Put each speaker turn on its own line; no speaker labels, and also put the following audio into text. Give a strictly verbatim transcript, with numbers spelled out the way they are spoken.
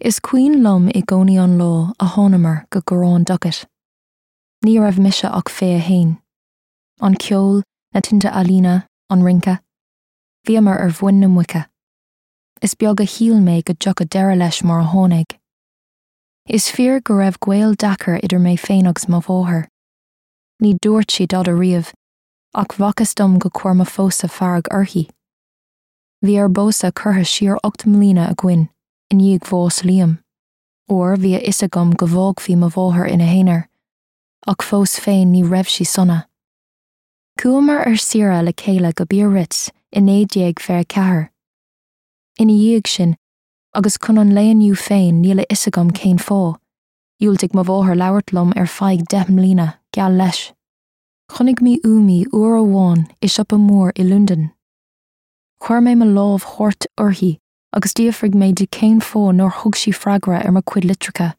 Is cuimhin liom i gcónaí an lá a thángamar go Garrán Duckett. Ní raibh mise ach fiche a haon. An ceol, na tinte ealaíne, an rince, Bhíomar ar mhuin na muice. Is beag a shíl mé go dtiocfadh deireadh leis mar a tháinig. Is fíor go raibh gaol deacair idir mé féin agus mo mháthair. Ní dúirt sí dada riamh, ach b'fhacthas dom gur chuir mo phósadh fearg uirthi. Bhí ár bpósadh curtha siar ocht mbliana againn i ndiaidh bhás Liam, óir bhí a fhios agam go bhfágfaí mo mháthair ina haonar, ach fós féin ní raibh sí sona. Chuamar ar saoire le chéile go Biarritz i naoi déag fiche ceathair. Ina dhiaidh sin, agus chun an lae inniu féin níl a fhios agam cén fáth, Dhiúltaigh mo mháthair labhairt liom ar feadh deich mbliana geall leis. Chonaic mé uaim í uair amháin i siopa mór i Londain. Chuir mé mo lámh thart uirthi agus d'fhiafraigh mé di cén fáth nár thug sí freagra ar mo chuid litreacha.